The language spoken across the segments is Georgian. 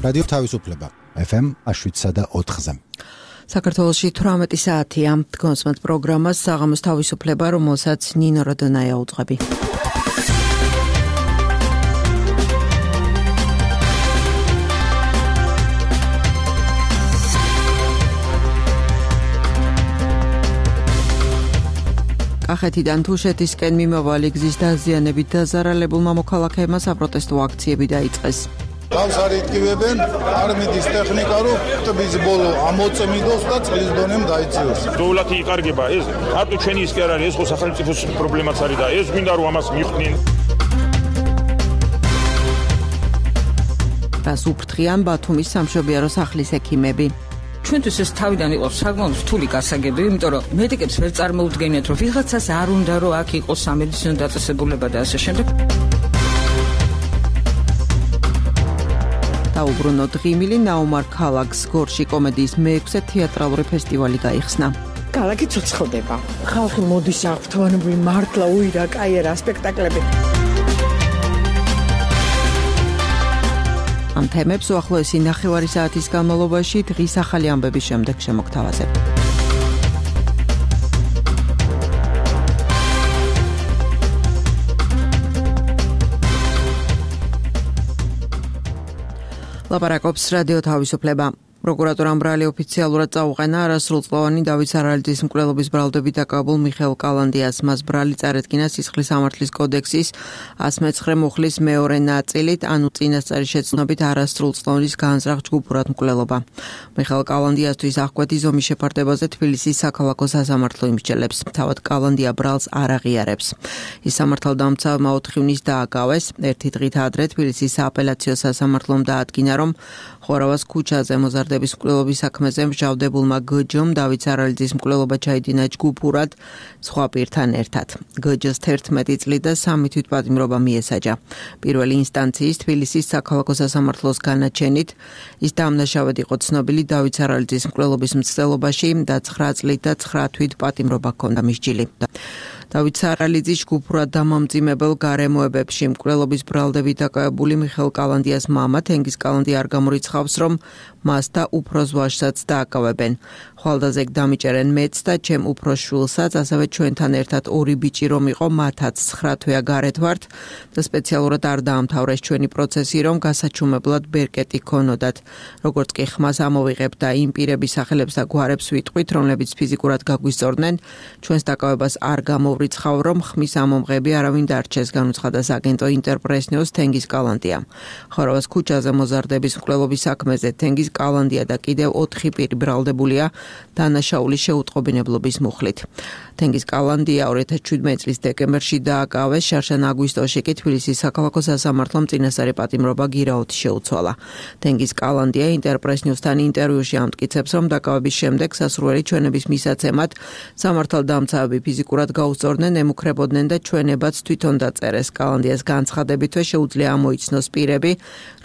რადიო თავისუფლება FM 7.4-ზე. საქართველოში 18 საათია. დგომსმათ პროგრამას საღამოს თავისუფლება, რომელსაც ნინო როდონაია უძღვები. კახეთიდან თუშეთისკენ მიმავალი გზის დაზიანებით დაზარალებულმა მოქალაქეებმა საპროტესტო აქციები დაიწყეს. გავს არ იტკივებენ, არ მიდის ტექნიკა, რომ ტბის ბოლო ამოწმიდოს და წყლის დონემ დაიციოს. დოვლათი იკარგება ეს, არტო ჩვენი ის კი არ არის, ეს ხო სახელმწიფოს პრობლემაც არის და ეს გვინდა რომ ამას მიხვდნენ. რას უფრთხიან ბათუმის სამშობიარო სახლის ექიმები. ჩვენთვის ეს თავიდან იყო საკმაოდ რთული გასაგები, იმიტომ რომ მედიკებს ვერ წარმოუდგენიათ, რომ ვიღაცას არ უნდა რომ აქ იყოს სამედიცინო დაწესებულება და ასე შემდეგ. დაუბრუნო დღიმილი ნაუმარ ქალაქს გორში კომედიის მე-6 თეატრალური ფესტივალი გაიხსნა. ქალაქი ცოცხლდება. ხალხი მოდის აღფრთოვანებული მართლა უირა კაიერა სპექტაკლები. ამ თემებს უახლოესი 9 საათის განმავლობაში დღის ახალი ამბების შემდეგ შემოგთავაზებ. ლაპარაკობს რადიო თავისუფლება. პროკურატურამ ბრალი ოფიციალურად წაუყენა არასრულწლოვანი დავით სარალიძის მკვლელობის ბრალდებით დაკავებულ მიხეილ კალანდიას. მას ბრალი წარადგინა სისხლის სამართლის კოდექსის 109 მუხლის მეორე ნაწილით, ანუ წინასწარი შეცნობით არასრულწლოვანის განზრახ ჯგუფურად მკვლელობა. მიხეილ კალანდიასთვის აღკვეთი ზომის შეფარდებაზე თბილისის საქალაქო სასამართლო იმსჯელებს. თავად კალანდია ბრალს არ აღიარებს. ის სამართალდამცავმა 4 ივნის დააკავეს. ერთი დღით ადრე თბილისის სააპელაციო სასამართლომ დაადგინა, რომ ხორავას ქუჩაზე მოზარდების მკვლელობის საქმეზე მსჯავრდებულმა გჯ-მ დავით სარალიძის მკვლელობა ჩაიდინა ჯგუფურად სხვა პირთან ერთად. გჯ-ს 11 წლით და 3 თვითპატიმრობა მიესაჯა. პირველი ინსტანციის თბილისის საქალაქო სასამართლოს განაჩენით ის დამნაშავედ იყო ცნობილი დავით სარალიძის მკვლელობის მცდელობაში და 9 წლით და 9 თვითპატიმრობა ჰქონდა მისჯილი. დავით სარალიძის ჯგუფურად დამამძიმებელ გარემოებებში მკვლელობის ბრალდებით დაკავებული მიხეილ კალანდიას მამა თენგიზ კალანდია არ გამორიცხავს, რომ მას და უფროს ვაჟსაც დააკავებენ. ხვალდაზე დამიჭერენ მეც და ჩემ უფროს შვილსაც, ასევე ჩვენთან ერთად 2 ბიჭი რომ იყო, მათაც 9 თვეა გარეთ ვართ და სპეციალურად არ დაამთავრეს ჩვენი პროცესი, რომ გასაჩუმებლად ბერკეტი ქონოდათ. როგორც კი ხმას ამოვიღებთ და იმ პირების სახელებს და გვარებს ვიტყვით, რომლებიც ფიზიკურად გაგვისწორდნენ, ჩვენს დაკავებას არ გამოვრიცხავ, რომ ხმის ამომღები არავინ დარჩეს, განუცხადა საგენტო ინტერპრესნიოს თენგიზ კალანდია. ხორავას ქუჩაზე მოზარდების მკვლელობის საქმეზე თენგიზ კალანდია და კიდევ 4 პირი ბრალდებულია დანაშაულის შეუტყობინებლობის მუხლით. თენგიზ კალანდია 2017 წლის დეკემბერში დააკავეს, შარშან აგვისტოში კი თბილისის საქალაქო სასამართლომ წინასწარი პატიმრობა გირაოთი შეუცვალა. თენგიზ კალანდია ინტერპრესნიუსთან ინტერვიუში ამტკიცებს, რომ დაკავების შემდეგ სასურველი ჩვენების მისაცემად სამართალდამცავები ფიზიკურად გაუსწორდნენ, ემუქრებოდნენ და ჩვენებაც თვითონ დაწერეს. კალანდიას განცხადებითვე შეუძლია ამოიცნოს პირები,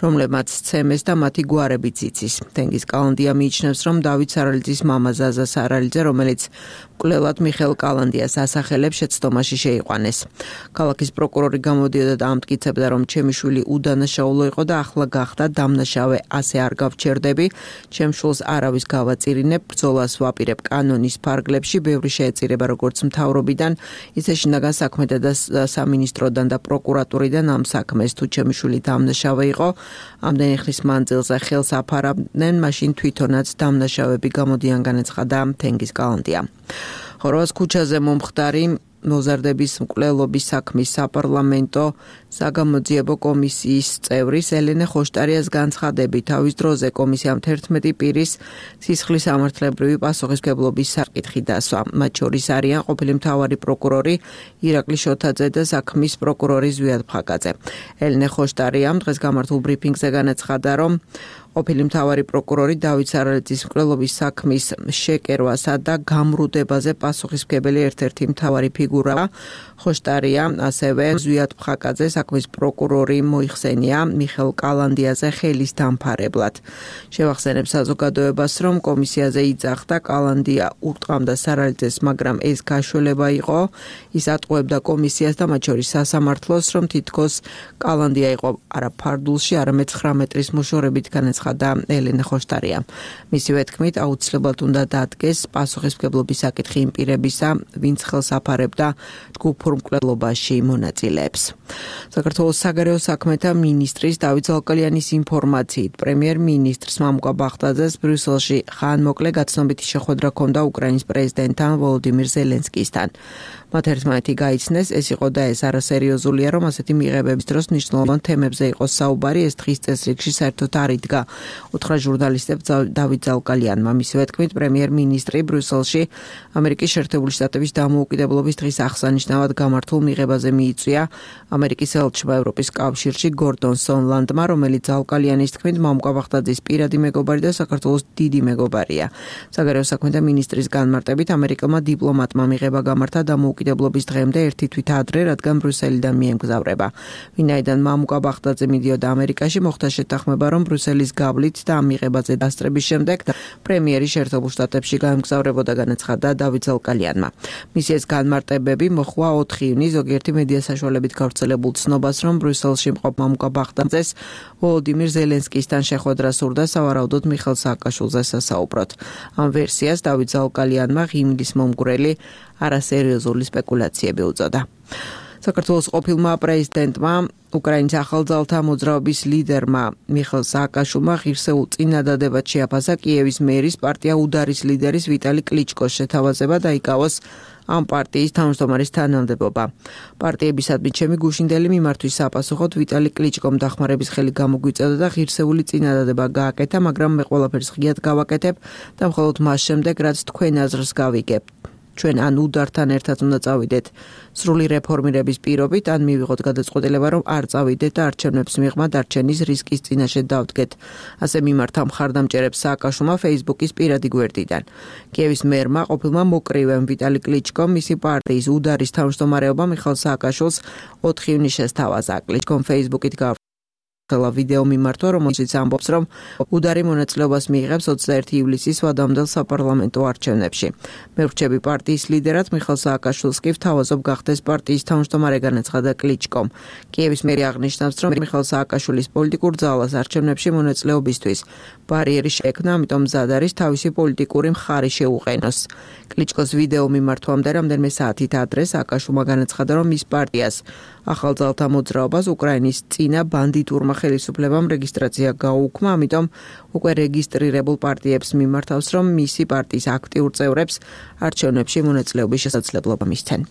რომლებმაც სცემეს და მათი გვარებიც იცის. თენგიზ კალანდია მიიჩნევს, რომ დავით სარალიძის მამა ზაზა სარალიძე, რომელიც მკვლელად მიხეილ კალანდიას ასახელებს, შეცდომაში შეიყვანეს. ქალაქის პროკურორი გამოდიოდა და ამტკიცებდა, რომ ჩემი შვილი უდანაშაულო იყო და ახლა გახდა დამნაშავე, ასე არ გავჩერდები. ჩემ შვილს არავის გავაწირინებ, ბრძოლას ვაპირებ კანონის ფარგლებში, ბევრი შეეწირება როგორც მთავრობიდან, ისე შინაგან საქმეთა და სამინისტროდან და პროკურატურიდან ამ საქმეს. თუ ჩემი შვილი დამნაშავე იყო, ამდენი ხნის მანძილზე ხელს აფარავდნენ, მაშინ თვითონაც დამნაშავები გამოდიან, განაცხადა თენგიზ კალანდია. ხორავას ქუჩაზე მომხდარი მოზარდების მკვლელობის საქმის საპარლამენტო საგამოძიებო კომისიის წევრის ელენე ხოშტარიას განცხადებით, თავის დროზე კომისიამ 11 პირის სისხლის სამართლებრივი პასუხისმგებლობის საკითხი დასვა. მათ შორის არიან ყოფილი მთავარი პროკურორი ირაკლი შოთაძე და საქმის პროკურორი ზვიად ფხაკაძე. ელენე ხოშტარიამ დღეს გამართულ ბრიფინგზე განაცხადა, რომ ყოფილი მთავარი პროკურორი დავით სარალიძის მკვლელობის საქმის შეკერვასა და გამრუდებაზე პასუხისმგებელი ერთ-ერთი მთავარი ფიგურა ხოშტარია, ასევე ზვიად ფხაკაძე საქმის პროკურორი მოიხსენია მიხეილ კალანდიაზე ხელის დამფარებლად. შევახსენებ საზოგადოებას, რომ კომისიაზე იძახდა კალანდია ურტყამდა სარალიძეს, მაგრამ ეს გაშველება იყო. ის ატყუებდა კომისიას და მათ შორის სასამართლოს, რომ თითქოს კალანდია იყო არა ფარდულში, არამედ 9 მეტრის მოშორებით განაცხადა აცხადა ელენე ხოშტარია. მისივე თქმით, აუცილებლად უნდა დადგეს პასუხისმგებლობის საკითხი იმ პირებისა, ვინც ხელს აფარებდა ჯგუფურ მკვლელობაში მონაწილეებს. საქართველოს საგარეო საქმეთა მინისტრის დავით ზალკალიანის ინფორმაციით, პრემიერ-მინისტრს მამუკა ბახტაძეს ბრიუსელში ხანმოკლე გაცნობითი შეხვედრა ჰქონდა უკრაინის პრეზიდენტთან ვოლოდიმირ ზელენსკისთან. მათ ერთმანეთი გაიცნეს, ეს იყო და ეს არასერიოზულია, რომ ასეთი მიღებების დროს მნიშვნელოვან თემებზე იყოს საუბარი, ეს დღის წესრიგში საერთოდ არ იდგა. უთხრა ჟურნალისტებს დავით ზალკალიანმა. მისივე თქმით, პრემიერ-მინისტრი ბრიუსელში ამერიკის შეერთებული შტატების დამოუკიდებლობის დღის აღსანიშნავად გამართულ მიღებაზე მიიწვია ამერიკის ელჩმა ევროპის კავშირში გორდონ სონლანდმა, რომელიც ზალკალიანის თქმით, მამუკა ბახტაძის პირადი მეგობარი და საქართველოს დიდი მეგობარია. საგარეო საქმეთა მინისტრის განმარტებით, ამერიკელმა დიპლომატმა მიღება გამართა დამოუკიდებლობის დღემდე ერთი თვით ადრე, რადგან ბრიუსელიდან მიემგზავრება. ვინაიდან მამუკა ბახტაძე მიდიოდა ამერიკაში, მოხდა შეთანხმება, რომ ბრიუსელის გავლით და ამ მიღებაზე დასწრების შემდეგ პრემიერი შეერთებულ შტატებში გაემგზავრებოდა, განაცხადა დავით ზალკალიანმა. მისი ეს განმარტებები მოხვა 4 ივნისს ზოგიერთი მედია საშუალებით გავრცელებულ ცნობას, რომ ბრიუსელში მყოფ მამუკა ბახტაძეს ვოლოდიმირ ზელენსკისთან შეხვედრა სურდა სავარაუდოდ მიხეილ სააკაშვილზე სასაუბროთ. ამ ვერსიას დავით ზალკალიანმა ღიმილის მომგვრელი არასერიოზული სპეკულაციები უწოდა. საქართველოს ყოფილმა პრეზიდენტმა, უკრაინის ახალძალთა მოძრაობის ლიდერმა მიხეილ სააკაშვილმა ღირსეულ წინადადებად შეაფასა კიევის მერის პარტია უდარის ლიდერის ვიტალი კლიჩკოს შეთავაზება და იკავოს ამ პარტიის თავმჯდომარის თანამდებობა. პარტიებისადმი ჩემი გუშინდელი მიმართვის საპასუხოდ ვიტალი კლიჩკომ დახმარების ხელი გამოგვიწევდა და ღირსეული წინადადება გააკეთა, მაგრამ მე ყველაფერს ღიად გავაკეთებ და მხოლოდ მას შემდეგ, რაც თქვენ აზრს გავიგებთ. ჩვენ ან უდართან ერთად უნდა წავიდეთ სრული რეფორმირების პირობით, ან მივიღოთ გადაწყვეტილება, რომ არ წავიდეთ და არჩევნებს მიღმა დარჩენის რისკის წინაშე დავდგეთ. ასე მიმართა მხარდამჭერებს სააკაშვილმა Facebook-ის პირადი გვერდიდან. კიევის მერმა ყოფილმა მოკრივემ ვიტალი კლიჩკომ მისი პარტიის უდარის თავმჯდომარეობა მიხეილ სააკაშვილს 4 ივნისს შესთავაზა. კლიჩკომ Facebook-ით ვიდეო მიმართვა, რომელშიც ამბობს, რომ უდარი მონაწილეობას მიიღებს 21 ივლისის ვადამდელ საპარლამენტო არჩევნებში. მე ვრჩები პარტიის ლიდერად მიხეილ სააკაშვილს კი ვთავაზობ გახდეს პარტიის თავმჯდომარე, განაცხადა კლიჩკომ. კიევის მერი აღნიშნავს, რომ მიხეილ სააკაშვილის პოლიტიკურ ძალას არჩევნებში მონაწილეობისთვის ბარიერი შეექმნა, ამიტომ მზად არის თავისი პოლიტიკური მხარი შეუყენოს. კლიჩკოს ვიდეო მიმართვამდე რამდენიმე საათით ადრე სააკაშვილმა განაცხადა, რომ მის პარტიას ახალძალთა მოძრაობას უკრაინის წინა ბანდიტურმა ხელისუფლებამ რეგისტრაცია გაუქმა, ამიტომ უკვე რეგისტრირებულ პარტიებს მიმართავს, რომ მისი პარტიის აქტიურ წევრებს არჩევნებში მონაწილეობის შესაძლებლობა მისცენ.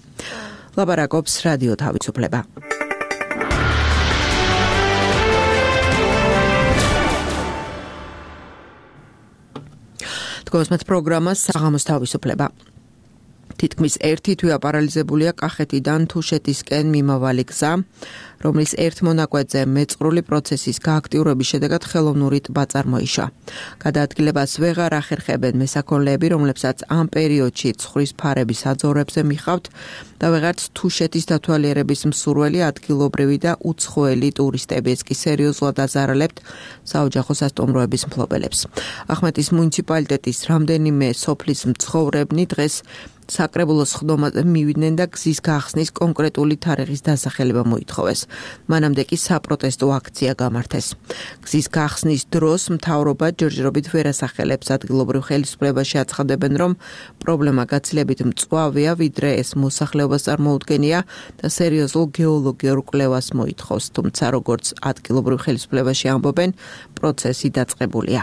ლაპარაკობს რადიო თავისუფლება. თქოს პროგრამას საღამოს თავისუფლება. თითქმის ერთი თვე აპარალიზებულია კახეთიდან თუშეთისკენ მიმავალი გზა, რომლის ერთ მონაკვეთზე მეწყრული პროცესის გააქტიურების შედეგად ხელოვნური ტბა წარმოიშვა. გადაადგილებას ვეღარ ახერხებენ მესაქონლეები, რომლებსაც ამ პერიოდში ცხრის ფარების აძორებზე მიხავთ და ვეღარც თუშეთის დათვალიერების მსურველი ადგილობრივი და უცხოელი ტურისტებიც კი სერიოზულად აზარალებთ საოჯახო სასტუმროების მფლობელებს. ახმეტის მუნიციპალიტეტის რამდენიმე სოფლის მცხოვრებნი დღეს საკრებულოს ხდომაზე მივიდნენ და გზის გახსნის კონკრეტული თარიღის დასახელება მოითხოვეს. მანამდე კი საპროტესტო აქცია გამართეს. გზის გახსნის დროს მთავრობა ჯერჯერობით ვერ ასახელებს, ადგილობრივ ხელისუფლებაში აცხადებენ, რომ პრობლემა გაცილებით მწვავეა, ვიდრე ეს მოსახლეობას წარმოუდგენია და სერიოზულ გეოლოგიურ კვლევას მოითხოვს, თუმცა როგორც ადგილობრივ ხელისუფლებაში ამბობენ, პროცესი დაწყებულია.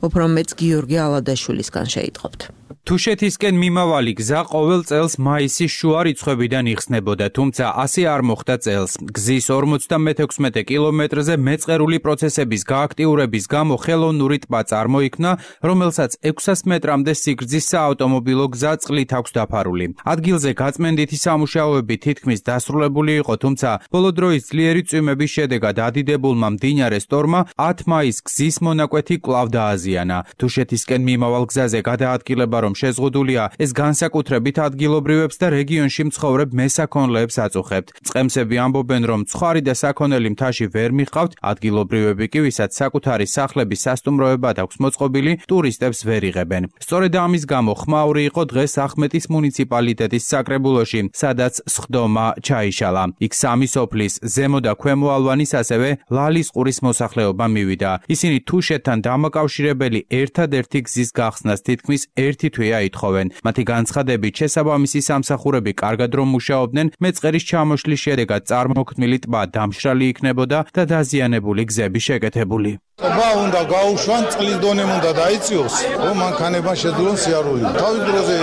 უფრო მეც გიორგი ალადაშვილისგან შეიტყობთ. თუშეთისკენ მიმავალი გზა ყოველ წელს მაისის შუა რიცხვებიდან იხსნებოდა, თუმცა ასე არ მოხდა წელს. გზის 56 კილომეტრზე მეწყერული პროცესების გააქტიურების გამო ხელოვნური ტბა წარმოიქმნა, რომელსაც 600 მეტრამდე სიგრძის საავტომობილო გზა წყლით აქვს დაფარული. ადგილზე გაწმენდითი სამუშაოები თითქმის დასრულებული იყო, თუმცა ბოლო დროის ძლიერი წვიმების შედეგად ადიდებულმა მდინარე სტორმა 10 მაისს გზის მონაკვეთი კვლავ დააზიანა. თუშეთისკენ მიმავალ გზაზე გადაადგილება რომ შეზღუდულია, ეს განსაკუთრებით განსაკუთრებით ადგილობრივებს და რეგიონში მცხოვრებ მესაქონლეებს აწუხებთ. წყემსები ამბობენ, რომ ცხარი და საქონელი მთაში ვერ მიყავთ, ადგილობრივები კი, ვისაც საკუთარი სახლების სასტუმროებად აქვს მოწყობილი, ტურისტებს ვერ იღებენ. სწორედ ამის გამო ხმაური იყო დღეს ახმეტის მუნიციპალიტეტის საკრებულოში, სადაც სხდომა ჩაიშალა. იქ სამი სოფლის, ზემო და ქვემო ალვანის, ასევე ლალის ყურის მოსახლეობა მივიდა. ისინი თუშეთთან დამაკავშირებელი ერთადერთი გზის გახსნას თითქმის ერთი თვეა ითხოვენ. მათი განცხადებით, შესაბამისი სამსახურები კარგად რომ მუშაობდნენ, მეწყერის ჩამოშლის შედეგად წარმოქმნილი ტბა დამშრალი იქნებოდა და დაზიანებული გზები შეკეთებული. ტბა უნდა გაუშვან, წყლის დონემ უნდა დაიწიოს, რომ მანქანებმა შეძლონ სიარული. თავის დროზე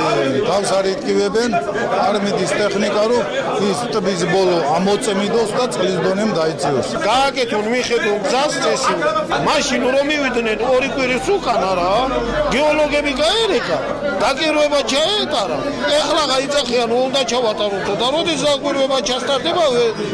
თავს არ იტკივებენ, არ მიდის ტექნიკა, რომ ის ტბის ბოლო ამოწმიდოს და წყლის დონემ დაიწიოს. გააკეთონ მიხედონ გზას წესი. მაშინ რომ მივიდნენ ორი კვირის უკან არა, გეოლოგები გაერეკა, დაგირვება ჩაეტარა. ეხლა გაიწახიან, უნდა ჩავატაროთ და როდის დაგირვება ჩასტარდება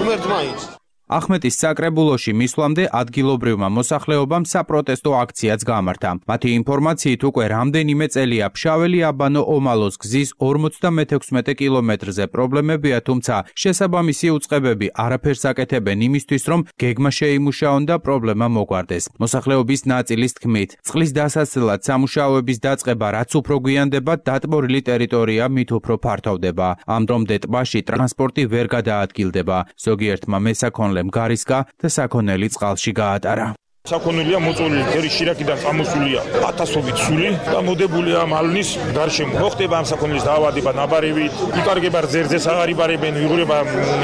ღმერთმაინც. ახმეტის საკრებულოში მისვლამდე ადგილობრივმა მოსახლეობამ საპროტესტო აქციაც გამართა. მათი ინფორმაციით უკვე რამდენიმე წელია ფშაველი-აბანო-ომალოს გზის 56 კილომეტრზე პრობლემებია, თუმცა შესაბამისი უწყებები არაფერს აკეთებენ იმისთვის, რომ გეგმა შეიმუშაონ და პრობლემა მოგვარდეს. მოსახლეობის ნაწილის თქმით, წყლის დასაცლად სამუშაოების დაწყება რაც უფრო გვიანდება, დატბორილი ტერიტორია მით უფრო ფართოვდება. ამ დრომდე ტბაში ტრანსპორტი ვერ გადაადგილდება. ზოგიერთმა მესაქონლემ გარისკა და საქონელი წყალში გაატარა. საქონელია მოწოლილი, ფერი შირაკიდან წამოსულია 1000-ობით სული და მოდებულია მალნის გარშემო. მოხდება ამ საქონელის დაავადება ნაბარევით, იკარგება რძერძეს აღარ იბარებენ, იღურება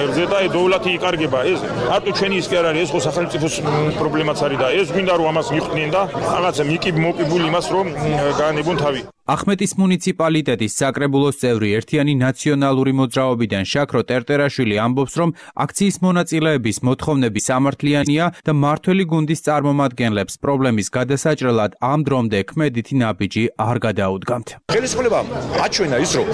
რძე და დოვლათი იკარგება. ეს არტო ჩვენი ის კი არ არის, ეს ხო სახელმწიფოს პრობლემაც არის და ეს გვინდა რომ ამას მიხვდნენ და რაღაცა მოკიბული იმას რომ გაანებონ თავი. ახმეტის მუნიციპალიტეტის საკრებულოს წევრი ერთიანი ნაციონალური მოძრაობიდან შაქრო ტერტერაშვილი ამბობს, რომ აქციის მონაწილეების მოთხოვნები სამართლიანია და მართველი გუნდის წარმომადგენლებს პრობლემის გადასაჭრელად ამ დრომდე ქმედითი ნაბიჯი არ გადაუდგამთ. ხელისუფლებამ აჩვენა ის, რომ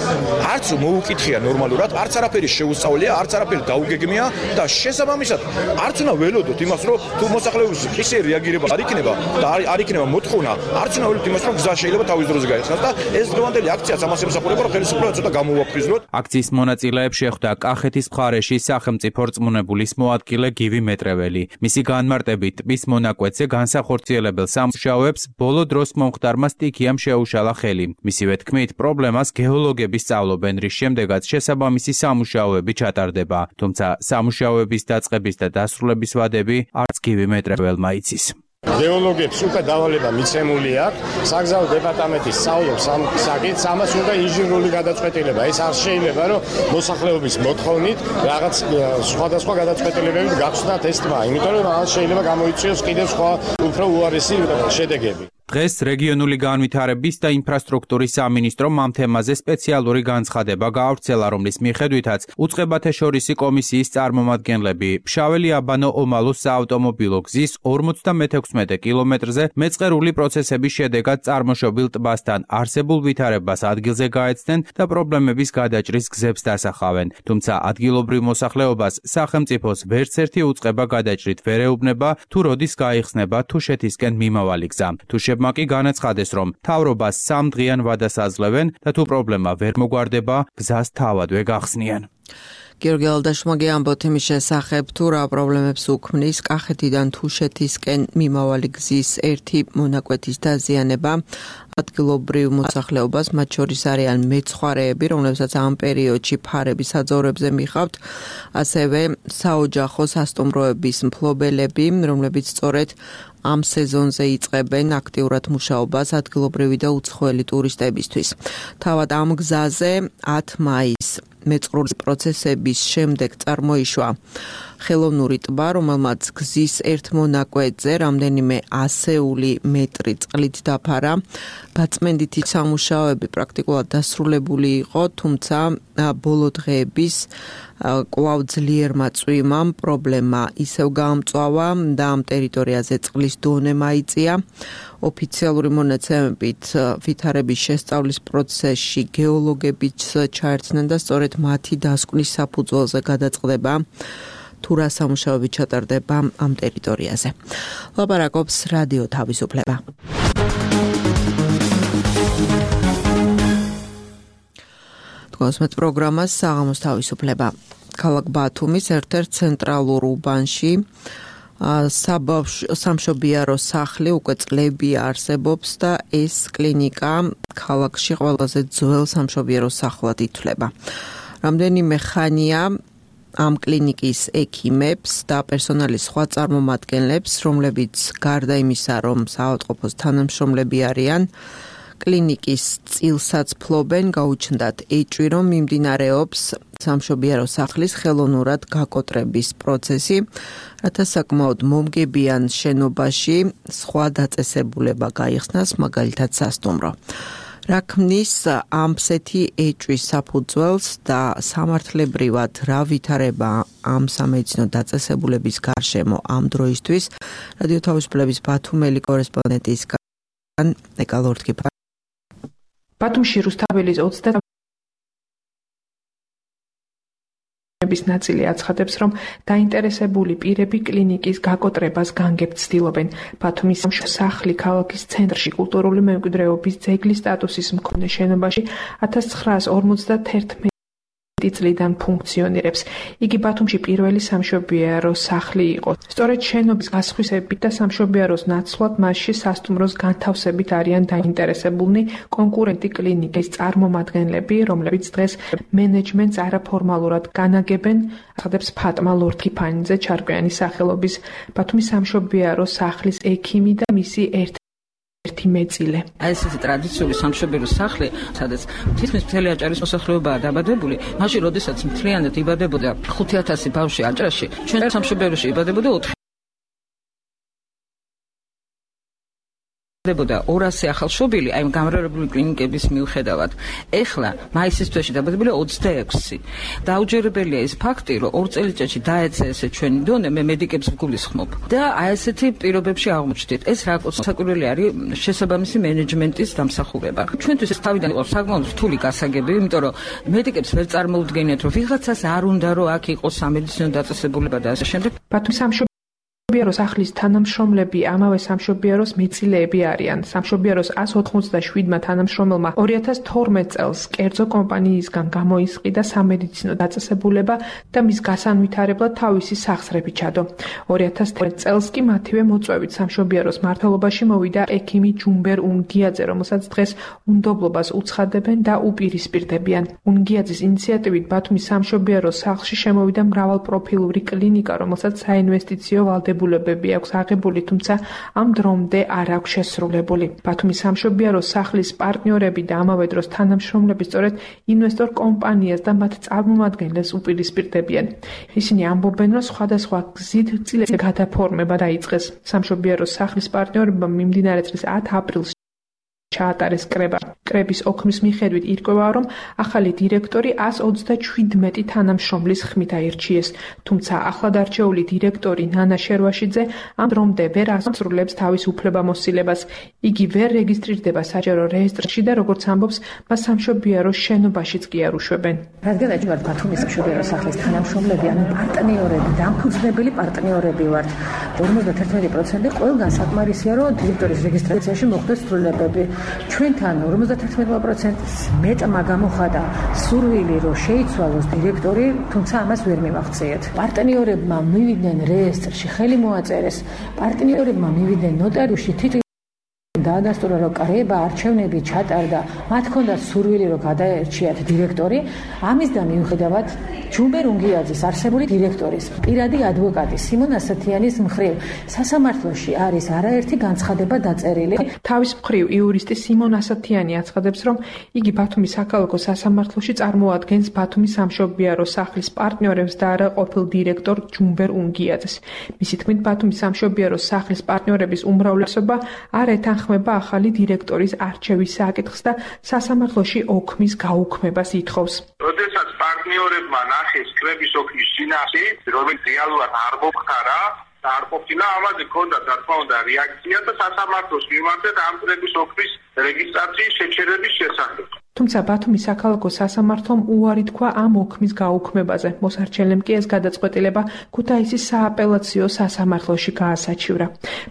არც მოუკითხია ნორმალურად, არც არაფერი შეუსწავლია, არც არაფერი დაუგეგმია და შესაბამისად არც უნდა ველოდოთ იმას, რომ თუ მოსახლეობის ისე რეაგირება არ იქნება და არ იქნება მოთხოვნა, არც უნდა ველოდოთ იმას, რომ გზა შეიძლება თავის დროზე გაიხსნას. ეს დღევანდელი აქციაც ამას ემსახურება, რომ ხელისუფლება ცოტა გამოვაფრიზნოთ. აქციის მონაწილეებს შეხვდა კახეთის მხარეში სახელმწიფო რწმუნებულის მოადგილე გივი მეტრეველი. მისი განმარტებით ტბის მონაკვეთზე განსახორციელებელ სამუშაოებს ბოლო დროს მომხდარმა სტიქიამ შეუშალა ხელი. მისივე თქმით, პრობლემას გეოლოგები სწავლობენ, რის შემდეგაც შესაბამისი სამუშაოები ჩატარდება. თუმცა სამუშაოების დაწყების და დასრულების ვადები არც გივი მეტრეველმა იცის. გეოლოგებს უკვე დავალება მიცემული აქვს, საგზაო დეპარტამენტის სწავლობს ამ საკითხს, ამას უნდა ინჟინერული გადაწყვეტილება. ეს არ შეიძლება, რომ მოსახლეობის მოთხოვნით რაღაც სხვადასხვა გადაწყვეტილებები გახსნათ ეს ტბა, იმიტომ რომ ამას შეიძლება გამოიწვიოს კიდევ სხვა უფრო უარესი შედეგები. დღეს რეგიონული განვითარების და ინფრასტრუქტურის სამინისტრომ ამ თემაზე სპეციალური განცხადება გაავრცელა, რომლის მიხედვითაც უწყებათა შორისი კომისიის წარმომადგენლები ფშაველი-აბანო-ომალოს საავტომობილო გზის 56 კილომეტრზე მეწყერული პროცესების შედეგად წარმოშობილ ტბასთან არსებულ ვითარებას ადგილზე გაეცდნენ და პრობლემების გადაჭრის გზებს დასახავენ. თუმცა ადგილობრივ მოსახლეობას სახელმწიფოს ვერცერთი უწყება გადაჭრით ვერ ეუბნება, თუ როდის გაიხსნება თუშეთისკენ მიმავალი გზა. თუშებმა კი განაცხადეს, რომ მთავრობას 3 დღიან ვადას აძლევენ და თუ პრობლემა ვერ მოგვარდება, გზას თავადვე გახსნიან. გიორგი ალდაშმაგი ამბობთ იმის შესახებ, თუ რა პრობლემებს უქმნის კახეთიდან თუშეთისკენ მიმავალი გზის ერთი მონაკვეთის დაზიანება. ადგილობრივ მოსახლეობას, მათ შორის არიან მეცხვარეები, რომლებსაც ამ პერიოდში ფარების საძოვრებზე მიხავთ, ასევე საოჯახო სასტუმროების მფლობელები, რომლებიც სწორედ ამ სეზონზე იწყებენ აქტიურად მუშაობას ადგილობრივი და უცხოელი ტურისტებისთვის. თავად ამ გზაზე 10 მაისს მეწყრული პროცესების შემდეგ წარმოიშვა ხელოვნური ტბა, რომელმაც გზის ერთ მონაკვეთზე რამდენიმე 100 მეტრი წყლით დაფარა. გაწმენდითი სამუშაოები პრაქტიკულად დასრულებული იყო, თუმცა ბოლო დღეების კვლავ ძლიერმა წვიმამ პრობლემა ისევ გაამწვავა და ამ ტერიტორიაზე წყლის დონე მაიწია. ოფიციალური მონაცემებით ვითარების შესწავლის პროცესში გეოლოგებიც ჩაერთნენ და სწორედ მათი დასკვნის საფუძველზე გადაწყდება, თუ რა სამუშაოები ჩატარდება ამ ტერიტორიაზე. ლაპარაკობს რადიო თავისუფლება. გასმეთ პროგრამას საღამოს თავისუფლება. ქალაქ ბათუმის ერთ-ერთ ცენტრალურ უბანში სამშობიარო სახლი უკვე წლები არსებობს და ეს კლინიკა ქალაქში ყველაზე ძველ სამშობიარო სახლად ითვლება. რამდენიმე ხანია ამ კლინიკის ექიმებს და პერსონალის სხვა წარმომადგენლებს, რომლებიც გარდა იმისა, რომ საავადმყოფოს თანამშრომლები არიან, კლინიკის წილსაც ფლობენ, გაუჩნდათ ეჭვი, რომ მიმდინარეობს სამშობიარო სახლის ხელოვნურად გაკოტრების პროცესი, რათა საკმაოდ მომგებიან შენობაში სხვა დაწესებულება გაიხსნას, მაგალითად სასტუმრო. რა ქმნის ამსეთი ეჭვის საფუძველს და სამართლებრივად რა ვითარება ამ სამედიცინო დაწესებულების გარშემო ამ დროისთვის, რადიო თავისუფლების ბათუმელი კორესპონდენტისგან ეკალორთკი ბათუმში რუსთაველის 30 ნაწილი აცხადებს, რომ დაინტერესებული პირები კლინიკის გაკოტრებას განგებ ცდილობენ. ბათუმის სახლი ქალაქის ცენტრში კულტურული მემკვიდრეობის ძეგლის სტატუსის მქონე შენობაში 1951 წლიდან ფუნქციონირებს. იგი ბათუმში პირველი სამშობიარო სახლი იყო. სწორედ შენობის გასხვისებით და სამშობიაროს ნაცვლად მასში სასტუმროს განთავსებით არიან დაინტერესებულნი კონკურენტი კლინიკის წარმომადგენლები, რომლებიც დღეს მენეჯმენტს არაფორმალურად განაგებენ, ახდებს ფატმა ლორთქიფანიძე ჩარკვიანის სახელობის ბათუმის სამშობიარო სახლის ექიმი და მისი ერთი მეწილე. ეს ტრადიციული სამშობიარო სახლი, სადაც თითქმის მთელი აჭარის მოსახლეობაა დაბადებული, მაშინ როდესაც მთლიანად იბადებოდა 5000 ბავშვი აჭარაში, ჩვენ სამშობიაროში იბადებოდა 200 ახალშობილი, აი გამრავლებული კლინიკების მიუხედავად. ეხლა მაისის თვეში დაბადებული 26. დაუჯერებელია ის ფაქტი, რომ 2 წელიწადში დაეცა ესე ჩვენი დონე, მე მედიკებს ვგულისხმობ. და აი ესეთი პირობებში აღმოჩნდით. ეს რა საკურველი არის შესაბამისი მენეჯმენტის დამსახურება. ჩვენთვის ეს თავიდან იყო საკმაოდ რთული გასაგები, იმიტომ რომ მედიკებს ვერ წარმოუდგენიათ, რომ ვიღაცას არ უნდა რომ აქ იყოს სამედიცინო დაწესებულება და ასე შემდეგ. ბათუმის სამშობიარო სახლის თანამშრომლები ამავე სამშობიაროს მეწილეები არიან. სამშობიაროს 197-მა თანამშრომელმა 2012 წელს კერძო კომპანიისგან გამოისყიდა სამედიცინო დაწესებულება და მის გასანვითარებლად თავისი სახსრები ჩადო. 2013 წელს კი მათივე მოწვევით სამშობიაროს მმართველობაში მოვიდა ექიმი ჯუმბერ უნგიაძე, რომელსაც დღეს უნდობლობას უცხადებენ და უპირისპირდებიან. უნგიაძის ინიციატივით ბათუმის სამშობიარო სახლში შემოვიდა მრავალპროფილური კლინიკა, რომელსაც საინვესტიციო ვალდებულებები აქვს აღებული, თუმცა ამ დრომდე არ აქვს შესრულებული. ბათუმის სამშობიარო სახლის პარტნიორები და ამავე დროს თანამშრომლები სწორედ ინვესტორ კომპანიას და მათ წარმომადგენლებს უპირისპირდებიან. ისინი ამბობენ, რომ სხვადასხვა გზით წილების გადაფორმება დაიწყეს. სამშობიარო სახლის პარტნიორებმა მიმდინარე წლის 10 აპრილს ჩაატარეს კრება. კრების ოქმის მიხედვით ირკვევა, რომ ახალი დირექტორი 127 თანამშრომლის ხმით აირჩიეს. თუმცა ახლად არჩეული დირექტორი ნანა შერვაშიძე ამ დრომდე ვერ ასრულებს თავის უფლებამოსილებას. იგი ვერ რეგისტრირდება საჯარო რეესტრში და როგორც ამბობს, მას სამშობიარო შენობაშიც კი არ უშვებენ. რადგან ვართ ბათუმის სამშობიარო სახლის თანამშრომლები, ანუ პარტნიორები, დამფუძნებელი პარტნიორები ვართ. 51% ყველგან საკმარისია, რომ დირექტორის რეგისტრაციაში მოხდეს ცვლილებები. ჩვენთან 51%-ს მეტმა გამოხატა სურვილი, რომ შეიცვალოს დირექტორი, თუმცა ამას ვერ მივახციეთ. პარტნიორებმა მივიდნენ რეესტრში, ხელი მოაწერეს. პარტნიორებმა მივიდნენ ნოტარიუსში, თითქმის დაადასტურა, რომ კრება არჩევნები ჩატარდა, მათ ჰქონდათ სურვილი, რომ გადაერჩიათ დირექტორი. ამის და მიუხედავად ჯუმბერ უნგიაძის არსებული დირექტორის პირადი ადვოკატი სიმონ ასათიანის მხრივ სასამართლოში არის არაერთი განცხადება დაწერილი. თავის მხრივ იურისტი სიმონ ასათიანი აცხადებს, რომ იგი ბათუმის საქალაქო სასამართლოში წარმოადგენს ბათუმის სამშობიარო სახლის პარტნიორებს და არა ყოფილ დირექტორ ჯუმბერ უნგიაძეს. მისი თქმით, ბათუმის სამშობიარო სახლის პარტნიორების უმრავლესობა არ ეთანხმება ახალი დირექტორის არჩევის საკითხს და სასამართლოში ოქმის გაუქმებას ითხოვს. როდესაც პარტნიორებმა ნახეს კრების ოქმის წინაშე, რომელიც რეალურად არ მოხდარა, არ ყოფილა, ამაზე ქონდა რა თქმა უნდა რეაქცია და სასამართლოს მიმართეთ ამ კრების ოქმის რეგისტრაციის შეჩერების შესახებ. თუმცა ბათუმის საქალაქო სასამართლომ უარი თქვა ამ ოქმის გაუქმებაზე. მოსარჩენლემ კი ეს გადაწყვეტილება ქუთაისის სააპელაციო სასამართლოში გაასაჩივრა.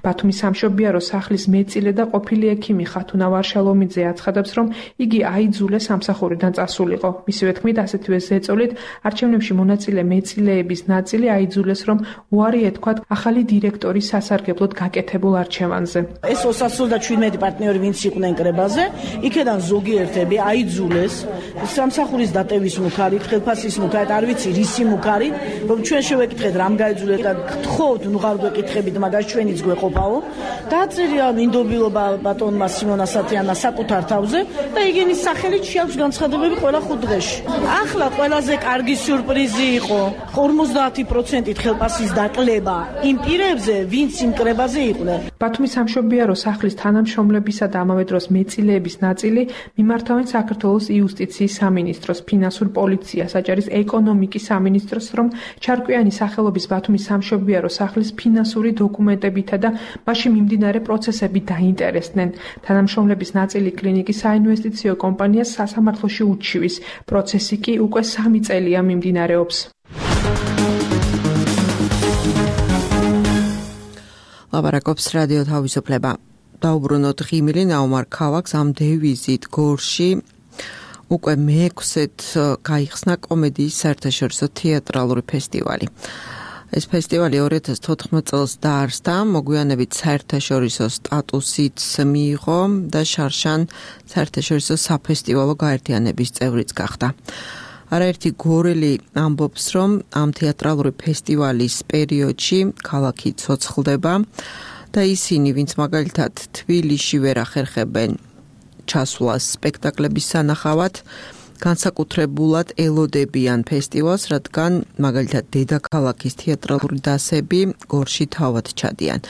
ბათუმის სამშობიარო სახლის მეწილე და ყოფილი ექიმი ხათუნა ვარშალომიძე აცხადებს, რომ იგი აიძულეს სამსახურიდან წასულიყო. მისივე თქმით, ასეთივე ზეწოლით არჩევნებში მონაწილე მეწილეების ნაწილი აიძულეს, რომ უარი ეთქვათ ახალი დირექტორის სასარგებლოდ გაკეთებულ არჩევანზე. ეს 217 პარტნიორი ვინც იყვნენ კრებაზე, იქედან ზოგიერთები აიძულეს სამსახურის დატევის მუქარით, ხელფასის მუქარით, არ ვიცი რისი მუქარით, რომ ჩვენ შევეკითხეთ რამ გაიძულეთ და გთხოვთ, ნუ არ გვეკითხებით, მაგას ჩვენიც გვეყოფაო. დააწერია მინდობილობა ბატონმა სიმონ ასათიანა საკუთარ თავზე და იგენის სახელით შეაქვს განცხადებები ყველა 5 დღეში. ახლა ყველაზე კარგი სიურპრიზი იყო 50%-ით ხელფასის დაკლება იმ პირებზე, ვინც იმ კრებაზე იყვნენ. ბათუმის სამშობიარო სახლის თანამშრომლებისა და ამავე დროს მეწილეების ნაწილი მიმართავენ საქართველოს იუსტიციის სამინისტროს, ფინანსურ პოლიციას, აჭარის ეკონომიკის სამინისტროს, რომ ჩარკვიანი სახელობის ბათუმის სამშობიარო სახლის ფინანსური დოკუმენტებითა და მასში მიმდინარე პროცესებით დაინტერესდნენ. თანამშრომლების ნაწილი კლინიკის საინვესტიციო კომპანიას სასამართლოში უჩივის. პროცესი კი უკვე 3 წელია მიმდინარეობს. ლაპარაკობს რადიო თავისუფლება. დაუბრუნოთ ღიმილი ნაუმარ ქალაქს ამ დევიზით გორში უკვე მე-6-ით გაიხსნა კომედიის საერთაშორისო თეატრალური ფესტივალი. ეს ფესტივალი 2014 წელს დაარსდა, მოგვიანებით საერთაშორისო სტატუსიც მიიღო და შარშან საერთაშორისო საფესტივალო გაერთიანების წევრიც გახდა. არაერთი გორელი ამბობს, რომ ამ თეატრალური ფესტივალის პერიოდში ქალაქი ცოცხლდება და ისინი, ვინც მაგალითად თბილისში ვერ ახერხებენ ჩასვლას სპექტაკლების სანახავად, განსაკუთრებულად ელოდებიან ფესტივალს, რადგან მაგალითად დედაქალაქის თეატრალური დასები გორში თავად ჩადიან.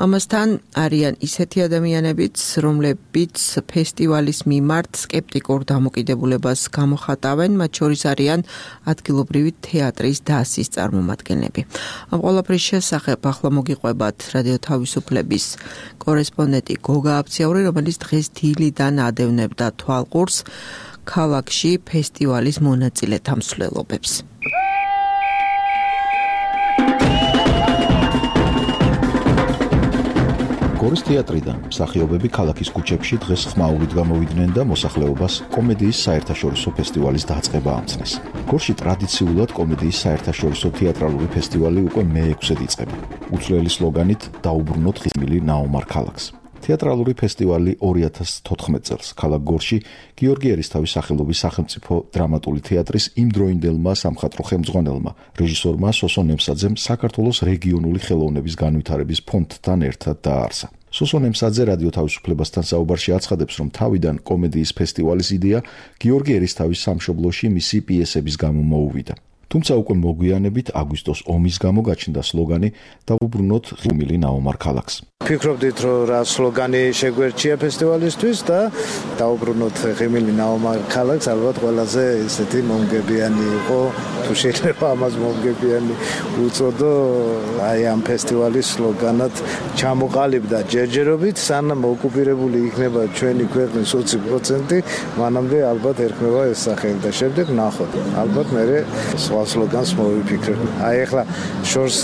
ამასთან არიან ისეთი ადამიანებიც, რომლებიც ფესტივალის მიმართ სკეპტიკურ დამოკიდებულებას გამოხატავენ, მათ შორის არიან ადგილობრივი თეატრის დასის წარმომადგენლები. ამ ყველაფრის შესახებ ახლა მოგიყვებათ რადიო თავისუფლების კორესპონდენტი გოგა აფციაური, რომელიც დღეს დილიდან ადევნებდა თვალყურს ქალაქში ფესტივალის მონაწილეთა მსვლელობებს. გორის თეატრიდან მსახიობები ქალაქის ქუჩებში დღეს ხმაურით გამოვიდნენ და მოსახლეობას კომედიის საერთაშორისო ფესტივალის დაწყება ამცნეს. გორში ტრადიციულად კომედიის საერთაშორისო თეატრალური ფესტივალი უკვე მე-6-ით იწყება. უცვლელი სლოგანით დაუბრუნოთ ღიმილი ნაუმარ ქალაქს. თეატრალური ფესტივალი 2014 წელს ქალაქ გორში გიორგი ერისთავის სახელობის სახელმწიფო დრამატული თეატრის იმდროინდელმა სამხატვრო ხელმძღვანელმა რეჟისორმა სოსო ნემსაძემ საქართველოს რეგიონული ხელოვნების განვითარების ფონდთან ერთად დააარსა. სოსო ნემსაძე რადიო თავისუფლებასთან საუბარში აცხადებს, რომ თავიდან კომედიის ფესტივალის იდეა გიორგი ერისთავის სამშობლოში მისი პიესების გამო მოუვიდა. თუმცა უკვე მოგვიანებით აგვისტოს ომის გამო გაჩნდა სლოგანი დაუბრუნოთ ღიმილი ნაუმარ ქალაქს. ფიქრობდით, რომ რა სლოგანი შეგვერჩია ფესტივალისთვის და დაუბრუნოთ ღიმილი ნაუმარ ქალაქს, ალბათ ყველაზე ესეთი მომგებიანი იყო, თუ შეიძლება ამას მომგებიანი უწოდო, აი ამ ფესტივალის სლოგანად ჩამოყალიბდა ჯერჯერობით, სანამ ოკუპირებული იქნება ჩვენი ქვეყნის 20%, მანამდე ალბათ ერქმევა ეს სახელი და შემდეგ ნახოთ. ალბათ მერე სხვა სლოგანს მოვიფიქრებ. აი ახლა შორს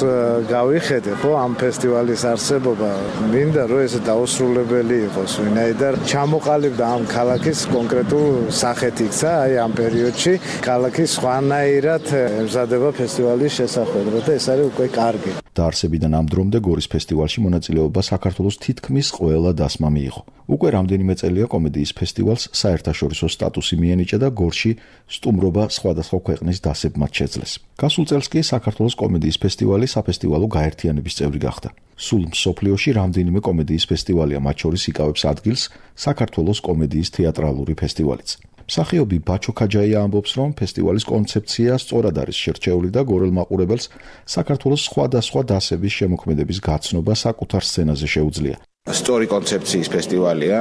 გავიხედე, ხო, ამ ფესტივალის არსებობა მინდა რომ ეს დაუსრულებელი იყოს, ვინაიდან ჩამოყალიბდა ამ ქალაქის კონკრეტულ სახეთ იქცა, აი ამ პერიოდში ქალაქი სხვანაირად ემზადება ფესტივალის შესახვედრად და ეს არის უკვე კარგი. დაარსებიდან ამ დრომდე გორის ფესტივალში მონაწილეობა საქართველოს თითქმის ყველა დასმა მიიღო. უკვე რამდენიმე წელია კომედიის ფესტივალს საერთაშორისო სტატუსი მიენიჭა და გორში სტუმრობა სხვადასხვა ქვეყნის დასებმაც შეძლეს. გასულ წელს კი საქართველოს კომედიის ფესტივალი საფესტივალო გაერთიანების წევრი გახდა. სულ მსოფლიოში რამდენიმე კომედიის ფესტივალია, მათ შორის იკავებს ადგილს საქართველოს კომედიის თეატრალური ფესტივალიც. მსახიობი ბაჩო ქაჯაია ამბობს, რომ ფესტივალის კონცეფცია სწორად არის შერჩეული და გორელ მაყურებელს საქართველოს სხვადასხვა დასების შემოქმედების გაცნობა საკუთარ სცენაზე შეუძლია. სწორი კონცეფციის ფესტივალია,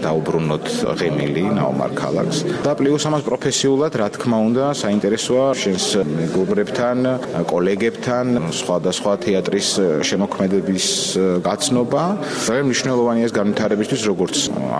დაუბრუნოთ ღემილი ნაომარ ქალაქს და პლუს ამას პროფესიულად, რა თქმა უნდა, საინტერესოა შენს მეგობრებთან, კოლეგებთან, სხვადასხვა თეატრის შემოქმედების გაცნობა. ძალიან მნიშვნელოვანია ეს განვითარებისთვის, როგორც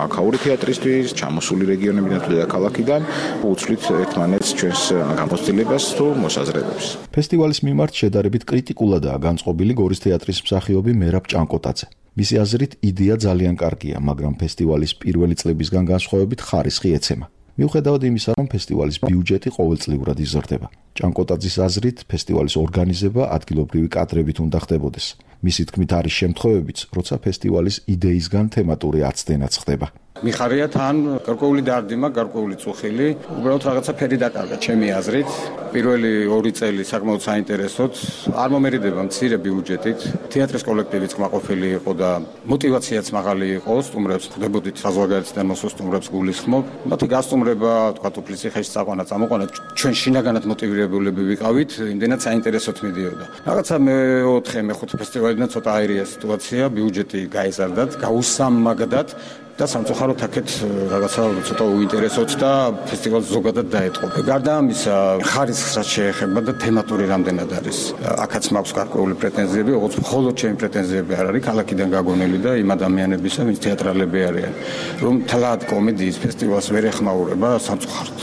აქაური თეატრისთვის, ჩამოსული რეგიონებიდან თუ დედაქალაქიდან, უცვლით ერთმანეთს ჩვენს გამოცდილებას თუ მოსაზრებებს. ფესტივალის მიმართ შედარებით კრიტიკულადაა განწყობილი გორის თეატრის მსახიობი მერაბ ჭანკოტაძე. მისი აზრით, იდეა ძალიან კარგია, მაგრამ ფესტივალის პირველი წლებისგან განსხვავებით ხარისხი ეცემა. მიუხედავად იმისა, რომ ფესტივალის ბიუჯეტი ყოველწლიურად იზრდება. ჭანკოტაძის აზრით, ფესტივალის ორგანიზება ადგილობრივი კადრებით უნდა ხდებოდეს. მისი თქმით, არის შემთხვევებიც, როცა ფესტივალის იდეისგან თემატური აცდენაც ხდება. მიხარია თან გარკვეული დარდიმა, გარკვეული წუხილი, უბრალოდ რაღაცა ფერი დაკარგა ჩემი აზრით. პირველი 2 წელი საკმაოდ საინტერესოდ, არ მომერიდება მცირე ბიუჯეტით. თეატრის კოლექტივიც კმაყოფილი იყო და мотиваციაც მაღალი იყო, სტუმრებს ხდებოდით საზღვარგარეთიდან მოსულ სტუმრებს გულისხმობ. მათი გასტუმრება, თქვა უფლისხეში წაყვანა, წამოყვანა, ჩვენ შინაგანად мотивირებულები ვიყავით, იმდენად საინტერესოდ მიდიოდა. რაღაცა მე-4, მე-5 ფესტივალიდან ცოტა აირია სიტუაცია, ბიუჯეტი გაიზარდათ, გაუსამაგდათ. და სამწუხაროდ აქეთ რაღაცა ცოტა უინტერესოდ და ფესტივალს ზოგადად დაეთყო. გარდა ამისა, ხარისხს რაც შეეხება და თემატური რამდენად არის. აქაც მაქვს გარკვეული პრეტენზიები, როგორც მხოლოდ ჩემი პრეტენზიები არ არის, ქალაქიდან გაგონილი და იმ ადამიანებისა, ვინც თეატრალები არიან, რომ თლად კომედიის ფესტივალს ვერ ეხმაურება სამწუხაროდ.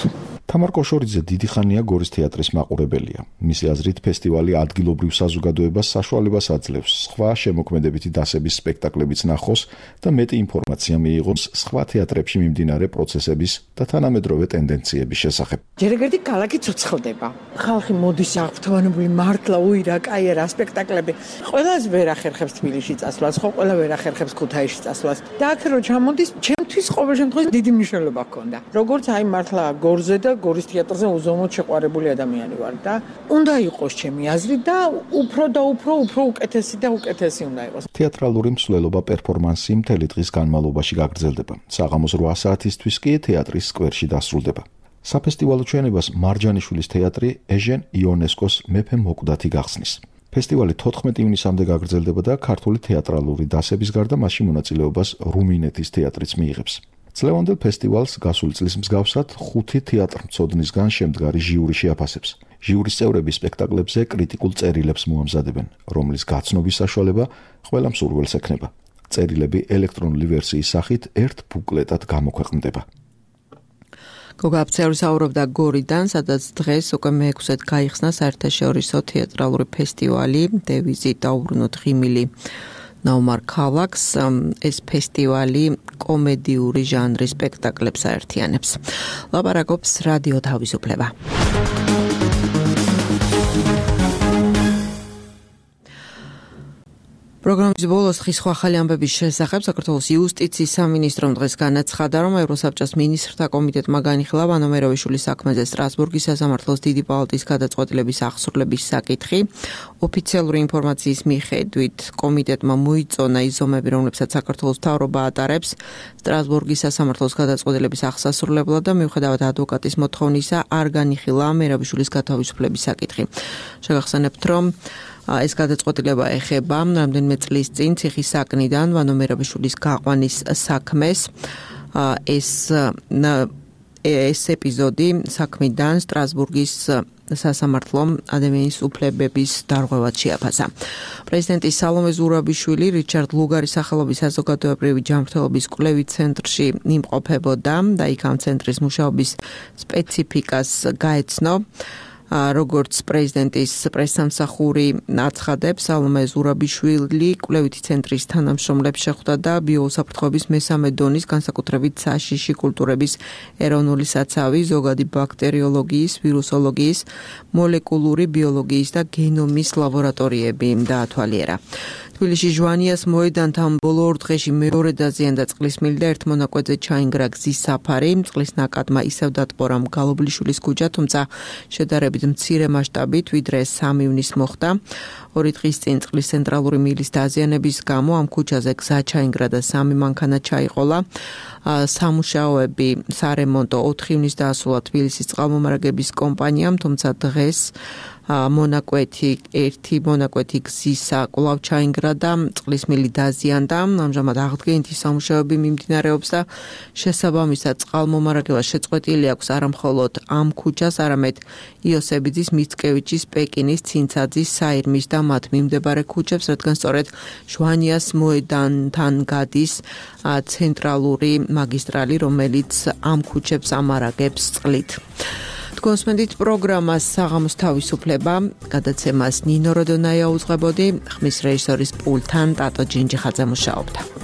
თამარ კოშორიძე დიდი ხანია გორის თეატრის მაყურებელია. მისი აზრით, ფესტივალი ადგილობრივ საზოგადოებას საშუალებას აძლევს სხვა შემოქმედებითი დასების სპექტაკლებიც ნახოს და მეტი ინფორმაცია მიიღოს სხვა თეატრებში მიმდინარე პროცესების და თანამედროვე ტენდენციების შესახებ. ჯერეგერდი ქალაქი ცოცხლდება. ხალხი მოდის აღფრთოვანებული მართლა უირა, კაიერა, სპექტაკლები. ყველას ვერ ახერხებს თბილისში წასვლას, ხო ყველა ვერ ახერხებს ქუთაისში წასვლას. და აქ რო ჩამოდის, ჩემთვის ყოველ შემთხვევაში დიდი მნიშვნელობა ჰქონდა. როგორც აი მართლა გორზე და გორის თეატრზე უზომოდ შეყვარებული ადამიანი ვარ და უნდა იყოს ჩემი აზრით და უფრო უკეთესი და უკეთესი უნდა იყოს. თეატრალური მსვლელობა პერფორმანსი მთელი დღის განმავლობაში გაგრძელდება. საღამოს 8 საათისთვის კი თეატრის სკვერში დასრულდება. საფესტივალო ჩვენებას მარჯანიშვილის თეატრი ეჟენ იონესკოს მეფე მოკვდათი გახსნის. ფესტივალი 14 ივნისამდე გაგრძელდება და ქართული თეატრალური დასების გარდა მასში მონაწილეობას რუმინეთის თეატრიც მიიღებს. წლევანდელ ფესტივალს გასული წლის მსგავსად 5 თეატრმცოდნისგან შემდგარი ჟიური შეაფასებს. ჟიურის წევრები სპექტაკლებზე კრიტიკულ წერილებს მოამზადებენ, რომლის გაცნობის საშუალება ყველა მსურველს ექნება. წერილები ელექტრონული ვერსიის სახით ერთ ბუკლეტად გამოქვეყნდება. გოგა აფცეური საუბრობდა გორიდან, სადაც დღეს უკვე მე-6-ად გაიხსნა საერთაშორისო თეატრალური ფესტივალი დევიზით დაუბრუნოთ ღიმილი ნაომარ ქალაქს. ეს ფესტივალი კომედიური ჟანრის სპექტაკლებს აერთიანებს. ლაპარაკობს რადიო თავისუფლება. პროგრამის ბოლოს ხის ახალი ამბების შესახებ საქართველოს იუსტიციის სამინისტრომ დღეს განაცხადა, რომ ევროსაბჭოს მინისტრთა კომიტეტმა განიხილა ვანო მეროვიშვილის საქმეზე სტრასბურგის სასამართლოს დიდი პალატის გადაწყვეტილების აღსრულების საკითხი. ოფიციალური ინფორმაციის მიხედვით კომიტეტმა მოიწონა ის ზომები, რომლებსაც საქართველოს მთავრობა ატარებს სტრასბურგის სასამართლოს გადაწყვეტილების აღსასრულებლად და მიუხედავად ადვოკატის მოთხოვნისა არ განიხილა მეროვიშვილის გათავისუფლების საკითხი. შეგახსენებთ, რომ ეს გადაწყვეტილება ეხება რამდენიმე წლის წინ ციხის საკნიდან ვანო მეროვიშვილის გაყვანის საქმეს. ეს ეპიზოდი საქმიდან სტრასბურგის სასამართლომ ადამიანის უფლებების დარღვევად შეაფასა. პრეზიდენტი სალომე ზურაბიშვილი რიჩარდ ლუგარის სახელობის საზოგადოებრივი ჯანმრთელობის კვლევით ცენტრში იმყოფებოდა და იქ ამ ცენტრის მუშაობის სპეციფიკას გაეცნო. როგორც პრეზიდენტის პრესსამსახური აცხადებს, სალომე ზურაბიშვილი კვლევითი ცენტრის თანამშრომლებს შეხვდა და ბიოუსაფრთხოების მესამე დონის, განსაკუთრებით საშიში კულტურების ეროვნული საცავი, ზოგადი ბაქტერიოლოგიის, ვირუსოლოგიის, მოლეკულური ბიოლოგიის და გენომის ლაბორატორიები დაათვალიერა. თბილისში ჟვანიას მოედანთან ბოლო 2 დღეში მეორე დაზიანდა წყლის მილი და ერთ მონაკვეთზე ჩაინგრა გზის საფარი. წყლის ნაკადმა ისევ დატბორა მგალობლიშვილის ქუჩა, თუმცა შედარებით მცირე მასშტაბით, ვიდრე 3 ივნისს მოხდა. 2 დღის წინ წყლის ცენტრალური მილის დაზიანების გამო ამ ქუჩაზე გზა ჩაინგრა და 3 მანქანა ჩაიყოლა. სამუშაოები სარემონტო 4 ივნისს დაასრულა თბილისის წყალმომარაგების კომპანიამ, თუმცა დღეს მონაკვეთი გზისა კვლავ ჩაინგრა და წყლის მილი დაზიანდა. ამჟამად აღდგენითი სამუშაოები მიმდინარეობს და შესაბამისად წყალმომარაგება შეწყვეტილი აქვს არა მხოლოდ ამ ქუჩას, არამედ იოსებიძის, მიცკევიჩის, პეკინის, ცინცაძის, საირმის და მათ მიმდებარე ქუჩებს, რადგან სწორედ ჟვანიას მოედანთან გადის ცენტრალური მაგისტრალი, რომელიც ამ ქუჩებს ამარაგებს წყლით. თქვენსმენდით პროგრამას საღამოს თავისუფლება, გადაცემას ნინო როდონაია უძღვებოდი, ხმის რეჟისორის პულტთან ტატო ჯინჯიხაძე მუშაობდა.